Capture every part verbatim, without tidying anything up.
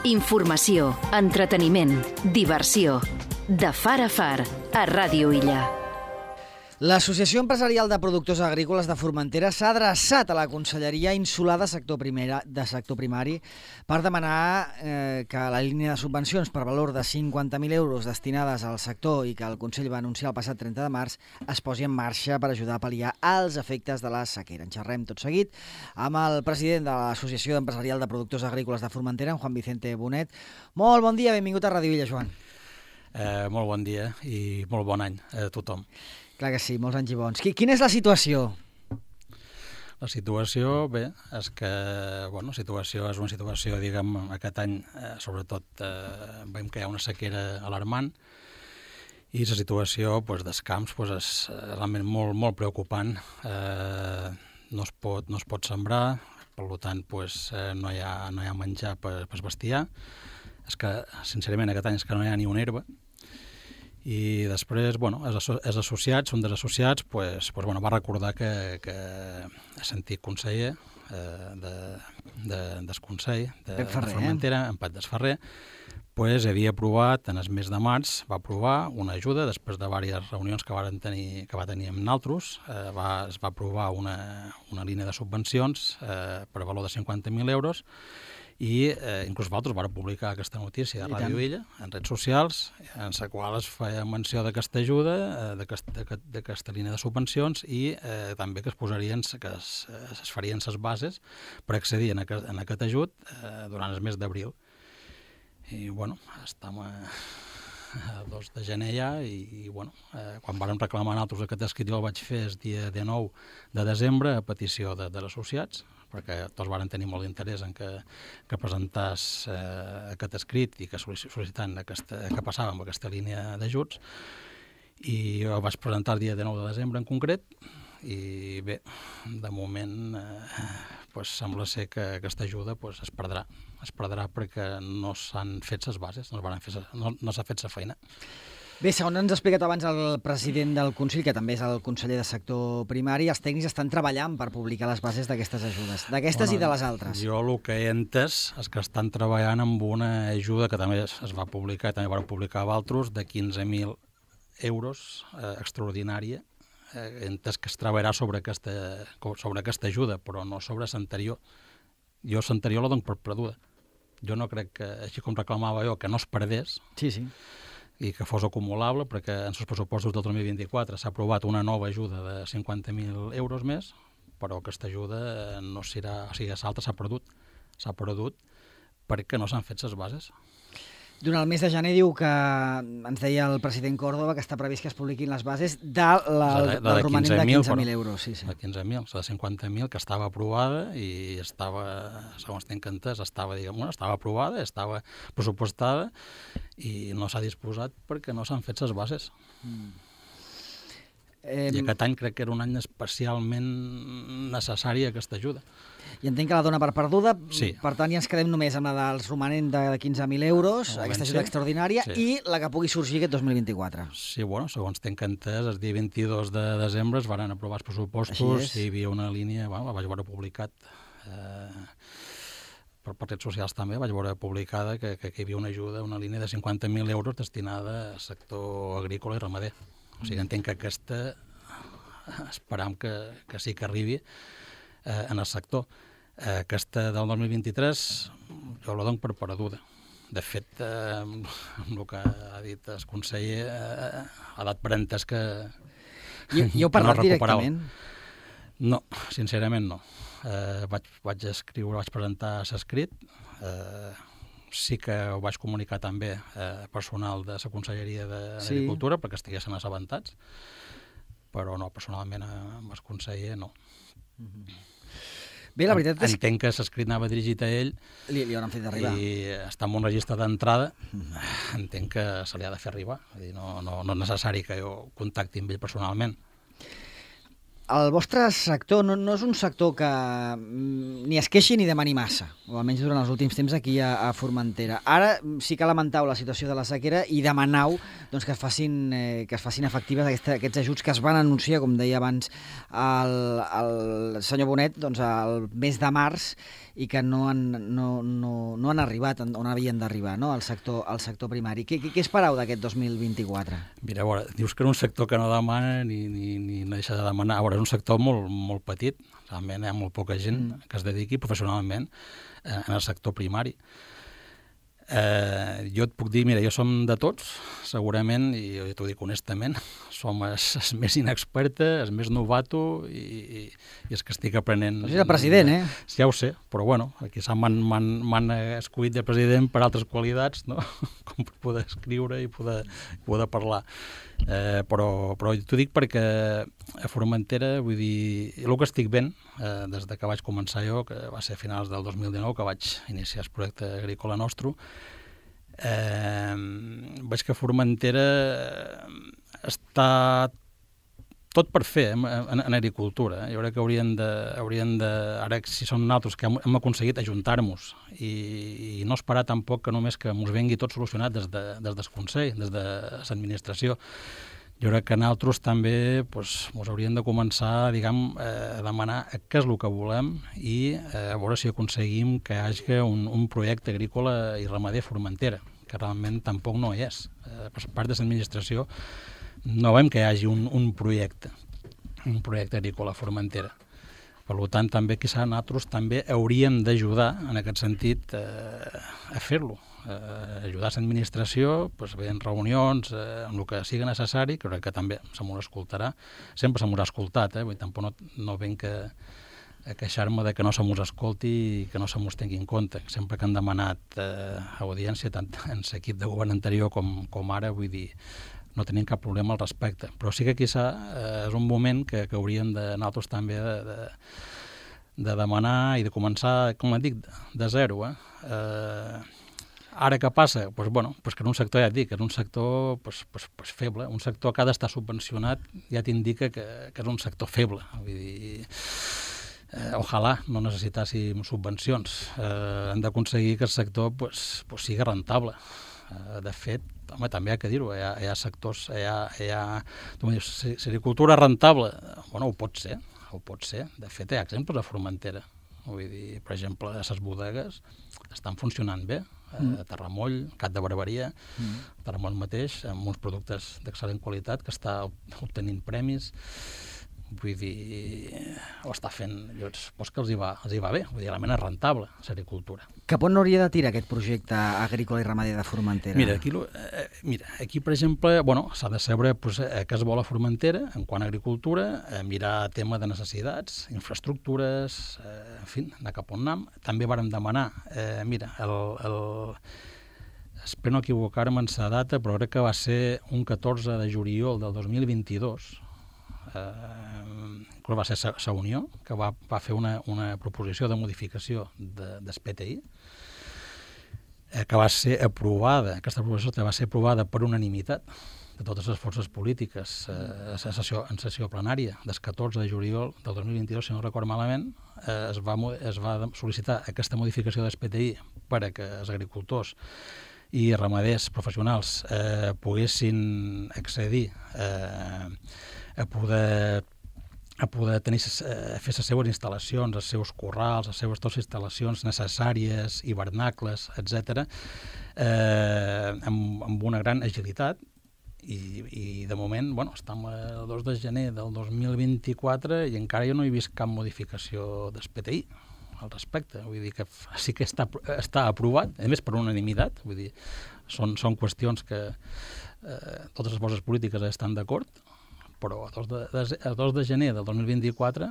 Informació, entreteniment, diversió. De far a far, a Ràdio Illa. L'Associació Empresarial de Productors Agrícoles de Formentera s'ha adreçat a la Conselleria Insular de Sector, Primera, de sector Primari per demanar eh, que la línia de subvencions per valor de cinquanta mil euros destinades al sector i que el Consell va anunciar el passat trenta de març es posi en marxa per ajudar a pal·liar els efectes de la sequera. En xerrem tot seguit amb el president de l'Associació Empresarial de Productors Agrícoles de Formentera, en Juan Vicente Bonet. Molt bon dia, benvingut a Ràdio Illa, Joan. Eh, molt bon dia i molt bon any a tothom. Clar que sí, molts anys i bons. Quina és la situació? La situació, bé, és que, bueno, la situació és una situació, diguem, aquest any, eh, sobretot, eh, veiem que hi ha una sequera alarmant i la situació, doncs, dels camps, doncs, és realment molt, molt preocupant. Eh, no es pot, no es pot sembrar, per tant, doncs, eh, no hi ha, no hi ha menjar per, per bestiar. És que, sincerament, aquest any és que no hi ha ni una herba. I després, bueno, els, asso els associats, un dels associats, pues, pues, bueno, va recordar que, que ha sentit conseller eh, de, de, del Consell de, de Formentera, en Pat Desferrer, pues, havia aprovat, en el mes de març, va aprovar una ajuda, després de diverses reunions que, varen tenir, que va tenir amb nosaltres, eh, va, es va aprovar una, una línia de subvencions eh, per valor de cinquanta mil euros, i eh, inclús nosaltres vam publicar aquesta notícia a Ràdio Illa, en redes socials, en la qual es feia menció d'aquesta ajuda, eh, d'aquesta línia de subvencions i eh, també que es posarien, que es, es farien les bases per accedir en aquest, en aquest ajut eh, durant el mes d'abril. I, bueno, estem a, a dos de gener ja i, i bueno, eh, quan vàrem reclamar nosaltres aquest escrit jo el vaig fer el dia dinou de desembre a petició de, de associats, perquè tots varen tenir molt d'interès en que, que presentàs eh, aquest escrit i que sol·licitant aquesta, que passava amb aquesta línia d'ajuts. I jo vaig presentar el dia dinou de desembre en concret i bé, de moment eh, pues, sembla ser que aquesta ajuda pues, es perdrà. Es perdrà perquè no s'han fet les bases, no, fer, no, no s'ha fet la feina. Bé, segons ens ha explicat abans el president del Consell, que també és el conseller de sector primari, els tècnics estan treballant per publicar les bases d'aquestes ajudes, d'aquestes bueno, i de les altres. Jo el que he entès és que estan treballant amb una ajuda que també es va publicar, també van publicar d'altres, de quinze mil euros eh, extraordinària. Eh, he entès que es treballarà sobre aquesta, sobre aquesta ajuda, però no sobre l'anterior. Jo l'anterior la dono per perduda. Jo no crec que, així com reclamava jo, que no es perdés, sí, sí. i que fos acumulable, perquè en els pressupostos del dos mil vint-i-quatre s'ha aprovat una nova ajuda de cinquanta mil euros més, però aquesta ajuda no serà, o sigui, l'altra s'ha perdut, s'ha perdut perquè no s'han fet les bases. Durant el mes de gener diu que, ens deia el president Córdoba, que està previst que es publiquin les bases de la, de, de, del romanent de quinze mil euros. Sí, sí. De quinze mil, la de cinquanta mil, que estava aprovada i estava, segons tinc entès, estava, diguem, bueno, estava aprovada, estava pressupostada i no s'ha disposat perquè no s'han fet les bases. Mm. Eh, I aquest any crec que era un any especialment necessari aquesta ajuda. I entenc que la dona per perduda, sí. Per tant ja ens quedem només amb la dels romanent de quinze mil euros, no, aquesta ajuda sí. extraordinària, sí. I la que pugui sorgir aquest dos mil vint-i-quatre. Sí, bueno, segons tinc entès, el dia vint-i-dos de desembre es van aprovar els pressupostos i hi havia una línia, bueno, la vaig veure publicat eh, per partits socials també, vaig veure publicada que, que hi havia una ajuda, una línia de cinquanta mil euros destinada al sector agrícola i ramader. O sigui, entenc que aquesta esperam que, que sí que arribi eh, en el sector. Eh, aquesta del dos mil vint-i-tres jo la dono per perduda. De fet, eh, amb el que ha dit el conseller, eh, ha dat per entès que, I, i heu parlat no directament? No, sincerament no. Eh, vaig, vaig escriure, vaig presentar l'escrit, eh, sí que ho vaig comunicar també eh, personal de la Conselleria d'Agricultura sí. perquè estiguessin assabentats, però no, personalment amb el conseller no. Mm-hmm. Bé, la veritat és... Entenc que l'escrit anava dirigit a ell li, li hauran fet arribar. I està en un registre d'entrada, entenc que se li ha de fer arribar. Vull dir, no, no, no és necessari que jo contacti amb ell personalment. el vostre sector no, no és un sector que mm, ni es queixi ni demani massa, o almenys durant els últims temps aquí a, a Formentera. Ara sí que lamentau la situació de la sequera i demanau doncs, que, es facin, eh, que es facin efectives aquesta, aquests ajuts que es van anunciar, com deia abans el, el senyor Bonet, doncs, el mes de març, i que no han, no, no, no han arribat on havien d'arribar, no? al, sector, al sector primari. Què, què, què esperau d'aquest dos mil vint-i-quatre? Mira, a veure, dius que era un sector que no demana ni, ni, ni no deixa de demanar. A veure, és un sector molt, molt petit, realment hi ha molt poca gent mm. que es dediqui professionalment eh, en el sector primari. Eh, jo et puc dir, mira, jo som de tots, segurament, i jo t'ho dic honestament, som el més inexperte, el més novato i, i, i és que estic aprenent... Però és el president, eh? Ja ho sé, però bueno, aquí m'han escollit de president per altres qualitats, no? Com per poder escriure i poder, poder parlar. Eh, però, però t'ho dic perquè a Formentera, vull dir, el que estic veient eh, des de que vaig començar jo, que va ser a finals del dos mil dinou, que vaig iniciar el projecte agrícola nostre, eh, veig que Formentera està tot per fer en, en, en agricultura. Jo crec que hauríem de, hauríem de, ara si som nosaltres que hem, hem aconseguit ajuntar-nos i, i no esperar tampoc que només que ens vengui tot solucionat des, de, des del Consell, des de l'administració. Jo crec que nosaltres també pues, ens hauríem de començar diguem, eh, a demanar què és el que volem i eh, a veure si aconseguim que hi hagi un, un projecte agrícola i ramader a Formentera, que realment tampoc no hi és. Eh, per part de l'administració no veiem que hi hagi un, un projecte, un projecte agrícola a Formentera. Per tant, també quizà nosaltres també hauríem d'ajudar, en aquest sentit, eh, a fer-lo. Eh, ajudar l'administració, pues, bé, en reunions, eh, en el que sigui necessari, que crec que també se m'ho escoltarà. Sempre se m'ho ha escoltat, eh? Vull dir, tampoc no, no venc a, a queixar-me de que no se m'ho escolti i que no se m'ho tingui en compte. Sempre que han demanat eh, audiència, tant en l'equip de govern anterior com, com ara, vull dir, no tenim cap problema al respecte. Però sí que quizà eh, és un moment que, que hauríem de nosaltres també de, de, de demanar i de començar, com et dic, de zero. Eh? Eh, ara què passa? Pues, bueno, pues que en un sector, ja et dic, és un sector pues, pues, pues feble. Un sector que ha d'estar subvencionat ja t'indica que, que és un sector feble. Vull dir, eh, ojalà no necessitàssim subvencions. Eh, hem d'aconseguir que el sector pues, pues, sigui rentable. Eh, de fet, home, també hi ha que dir-ho, hi, hi ha sectors, hi ha, hi ha tu m'ho dius, si l'agricultura rentable, bueno, ho pot ser, ho pot ser. De fet, hi ha exemples a Formentera. Vull dir, per exemple, les bodegues estan funcionant bé, mm. a Terramoll, Cat de Barberia, mm. Terramoll mateix, amb uns productes d'excel·lent qualitat que està obtenint premis. Vull dir, ho està fent, llavors, doncs que els hi va, els hi va bé, vull dir, realment és rentable, l'agricultura. Cap on hauria de tirar aquest projecte agrícola i ramader de Formentera? Mira, aquí, eh, mira, aquí per exemple, bueno, s'ha de saber pues, eh, què es vol a Formentera en quant a agricultura, eh, mirar tema de necessitats, infraestructures, eh, en fi, anar cap on anem. També vàrem demanar, eh, mira, el, el, espero no equivocar-me en la data, però crec que va ser un catorze de juliol del dos mil vint-i-dos, eh, va ser la Unió, que va, va fer una, una proposició de modificació de, del P T I, eh, que va ser aprovada, aquesta proposició va ser aprovada per unanimitat de totes les forces polítiques eh, en, sessió, en sessió plenària del catorze de juliol del dos mil vint-i-dos, si no record malament, eh, es, va, es va sol·licitar aquesta modificació del P T I per a que els agricultors i ramaders professionals eh, poguessin accedir eh, a poder a poder tenir, eh, fer les seues instal·lacions, els seus corrals, les seues totes instal·lacions necessàries, hivernacles, etcètera, eh, amb, amb una gran agilitat. I, i de moment, bueno, estem el dos de gener del dos mil vint-i-quatre i encara jo no he vist cap modificació del P T I al respecte. Vull dir que sí que està, està aprovat, a més per unanimitat, vull dir, són, són qüestions que eh, totes les forces polítiques estan d'acord, però a dos de, a dos de gener del dos mil vint-i-quatre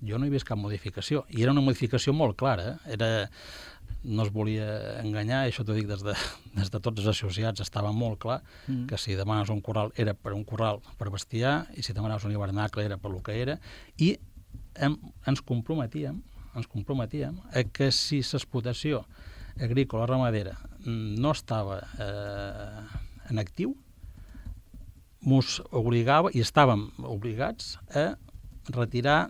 jo no he vist cap modificació. I era una modificació molt clara. Eh? Era, no es volia enganyar, i això t'ho dic des de, des de tots els associats, estava molt clar mm. que si demanes un corral era per un corral per bestiar, i si demanes un hivernacle era per lo que era, i hem, ens comprometíem ens comprometíem a que si l'explotació agrícola ramadera no estava eh, en actiu, ens obligava, i estàvem obligats a retirar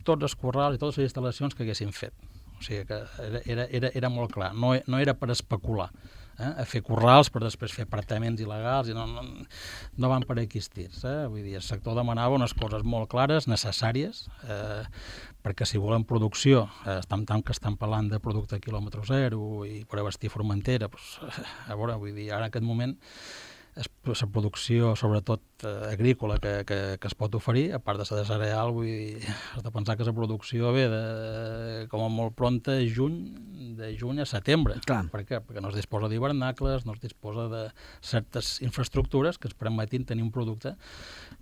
tots els corrals i totes les instal·lacions que haguessin fet. O sigui que era, era, era molt clar, no, no era per especular, eh? A fer corrals per després fer apartaments il·legals, i no, no, no van per aquí estirs. Eh? Vull dir, el sector demanava unes coses molt clares, necessàries, eh, perquè si volen producció, eh, estan, tant que estan parlant de producte quilòmetre zero i per abastir Formentera, doncs, a veure, vull dir, ara en aquest moment la producció, sobretot eh, agrícola, que, que, que es pot oferir, a part de la de cereal, vull dir, has de pensar que la producció ve de, com a molt pronta, juny, de juny a setembre. Clar. Per què? Perquè no es disposa d'hivernacles, no es disposa de certes infraestructures que es permetin tenir un producte,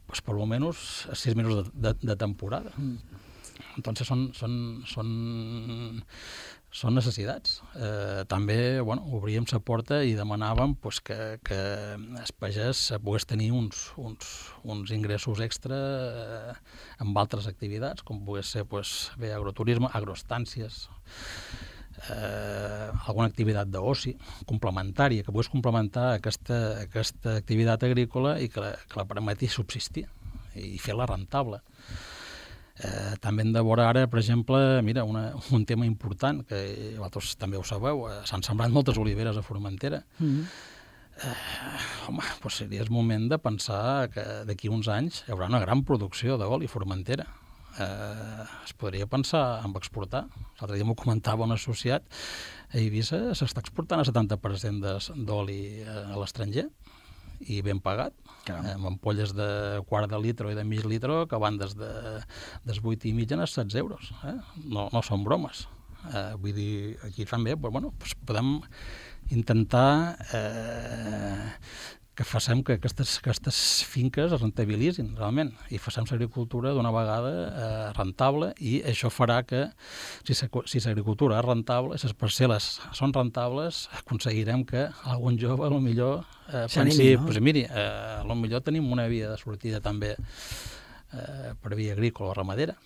pues, per almenys a sis mesos de, de, de temporada. Mm. Entonces són, són, són, són necessitats. Eh, també, bueno, obríem la porta i demanàvem pues, que, que el pagès pogués tenir uns, uns, uns ingressos extra eh, amb altres activitats, com pogués ser pues, bé, agroturisme, agroestàncies, eh, alguna activitat d'oci complementària, que pogués complementar aquesta, aquesta activitat agrícola i que la, que la permeti subsistir i fer-la rentable. Eh, també hem de veure ara, per exemple, mira, una, un tema important, que vosaltres també ho sabeu, eh, s'han sembrat moltes oliveres a Formentera. Mm-hmm. eh, home, doncs seria el moment de pensar que d'aquí uns anys hi haurà una gran producció d'oli a Formentera. Eh, es podria pensar en exportar. L'altre dia m'ho comentava un associat, a Eivissa s'està exportant el setanta per cent d'oli a l'estranger, i ben pagat, eh, amb ampolles de quart de litre i de mig litre que van des de des vuit i mig a setze euros. Eh? No, no són bromes. Eh, vull dir, aquí també però, bueno, doncs podem intentar eh, que facem que aquestes, aquestes finques es rentabilitzin realment i facem l'agricultura d'una vegada eh, rentable, i això farà que si l'agricultura és rentable, si les parcel·les són rentables, aconseguirem que algun jove a lo millor eh, pensi, no? Pues, miri, eh, a lo millor tenim una via de sortida també eh, per via agrícola o ramadera.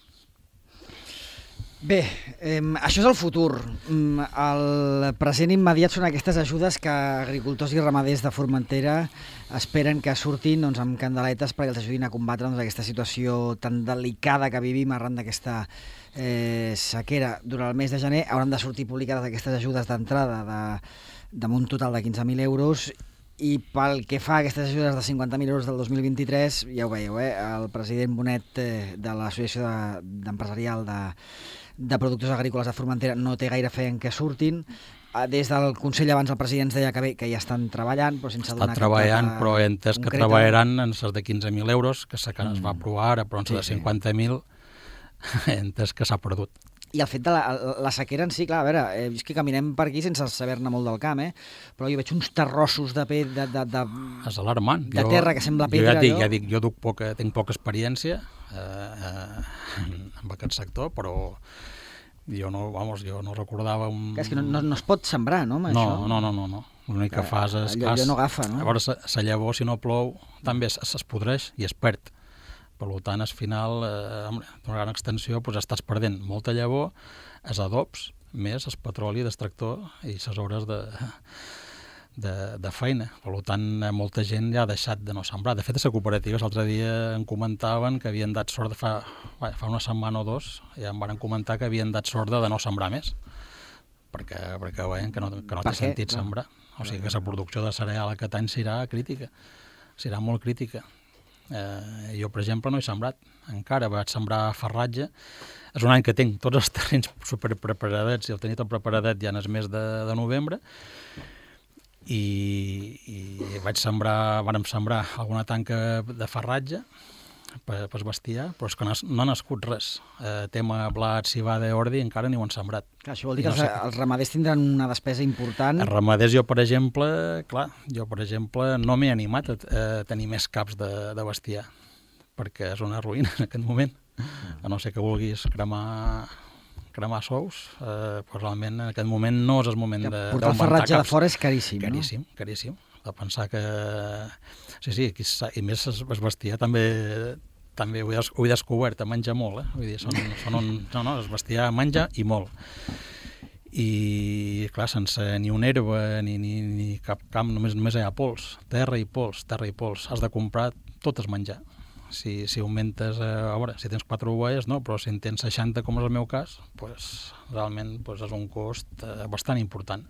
Bé, eh, això és el futur. El present immediat són aquestes ajudes que agricultors i ramaders de Formentera esperen que surtin doncs, amb candeletes perquè els ajudin a combatre doncs, aquesta situació tan delicada que vivim arran d'aquesta eh, sequera. Durant el mes de gener hauran de sortir publicades aquestes ajudes d'entrada de, amb un total de quinze mil euros, i pel que fa a aquestes ajudes de cinquanta mil euros del dos mil vint-i-tres, ja ho veieu, eh? El president Bonet eh, de l'Associació de, d'Empresarial de, de Productors Agrícoles de Formentera no té gaire fe en què surtin. Des del Consell abans el president ens deia que bé, que ja estan treballant, però sense donar... Estan treballant, però he entès que treballaran en les de quinze mil euros, que mm. es va aprovar ara, però en les de cinquanta mil he entès que s'ha perdut. I el fet de la, la sequera en si, clar, a veure, eh, és que caminem per aquí sense saber-ne molt del camp, eh? Però jo veig uns terrossos de, pe, de, de, de, és alarmant. De jo, terra que sembla pedra. Jo ja dic, ja dic jo duc poca, tinc poca experiència eh, eh, en aquest sector, però jo no, vamos, jo no recordava un... Que és que no, no, no es pot sembrar, no, amb no, això? No, no, no, no. L'únic que fas és... Allò, allò no agafa, no? Llavors, la llavor, si no plou, també es, es podreix i es perd. Per tant, al final, eh, d'una gran extensió, doncs estàs perdent molta llavor, els adobs, més el petroli d'extractor i les hores de, de, de feina. Per tant, molta gent ja ha deixat de no sembrar. De fet, a les cooperatives l'altre dia em comentaven que havien dat sort de fa, fa una setmana o dos, ja em van comentar que havien dat sort de no sembrar més, perquè, perquè veien que no, que no té sentit sembrar. O sigui que la producció de cereal aquest any serà crítica, serà molt crítica. Eh, jo, per exemple, no he sembrat encara, vaig sembrar farratge. És un any que tinc tots els terrenys superpreparadets i el tenia tot preparadet ja en el mes de, de novembre, i, i vaig sembrar, vàrem sembrar alguna tanca de farratge per, per bestiar, però és que no, no ha nascut res. Eh, tema blat, civada, ordi, encara ni ho han sembrat. Clar, això vol dir que no els, sé... els ramaders tindran una despesa important. Els ramaders, jo, per exemple, clar, jo, per exemple, no m'he animat a, a tenir més caps de, de bestiar, perquè és una ruïna en aquest moment. A no ser que vulguis cremar, cremar sous, eh, però realment en aquest moment no és el moment de, d'augmentar caps. Portar el farratge de fora és caríssim, caríssim, no? Caríssim, caríssim. De pensar que... Sí, sí, aquí, i més es bestiar també... també ho he, ho he descobert, menja molt, eh? Vull dir, són, són un... No, no, es bestiar menja i molt. I, clar, sense ni una herba ni, ni, ni cap camp, només, només hi ha pols, terra i pols, terra i pols. Has de comprar tot el menjar. Si, si augmentes, eh, a veure, si tens quatre ovelles, no, però si en tens seixanta, com és el meu cas, pues, realment pues, és un cost eh, bastant important.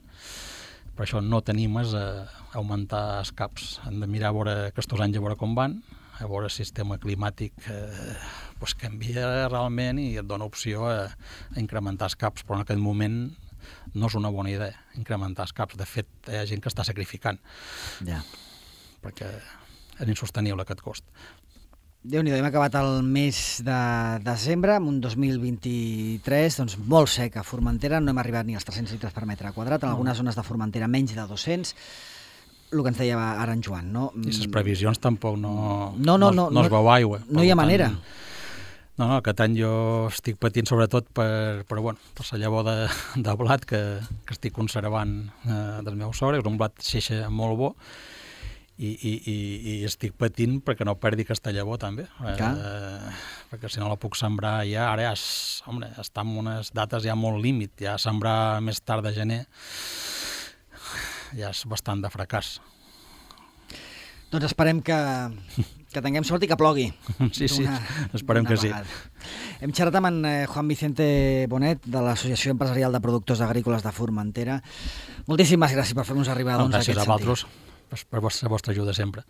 Per això no tenim és a augmentar els caps. Hem de mirar a veure aquests anys a veure com van, a veure el sistema climàtic eh, pues, canvia realment i et dona opció a, a incrementar els caps, però en aquest moment no és una bona idea incrementar els caps. De fet, hi ha gent que està sacrificant. Ja. Perquè és insostenible aquest cost. Déu-n'hi-do, hem acabat el mes de desembre, amb un dos mil vint-i-tres doncs, molt sec a Formentera, no hem arribat ni als tres-cents litres per metre quadrat, en algunes zones de Formentera menys de dos-cents, el que ens deia ara en Joan, no? I les previsions tampoc no, no, no, no, no, no es veu aigua. No hi ha manera. No, no, aquest any jo estic patint sobretot per, per, bueno, per la llavor de, de blat que, que estic conservant eh, del meu sogre, és un blat xeixa molt bo, i, i, i, i estic patint perquè no perdi aquesta llavor també, eh, perquè si no la puc sembrar ja, ara ja és, home, està en unes dates ja molt límit, ja sembrar més tard de gener ja és bastant de fracàs. Doncs esperem que, que tinguem sort i que plogui. Sí, sí, esperem que sí. Hem xerrat amb en Juan Vicente Bonet, de l'Associació Empresarial de Productors Agrícoles de Formentera. Moltíssimes gràcies per fer-nos arribar doncs, no, gràcies a aquest a vosaltres per la vostra ajuda sempre.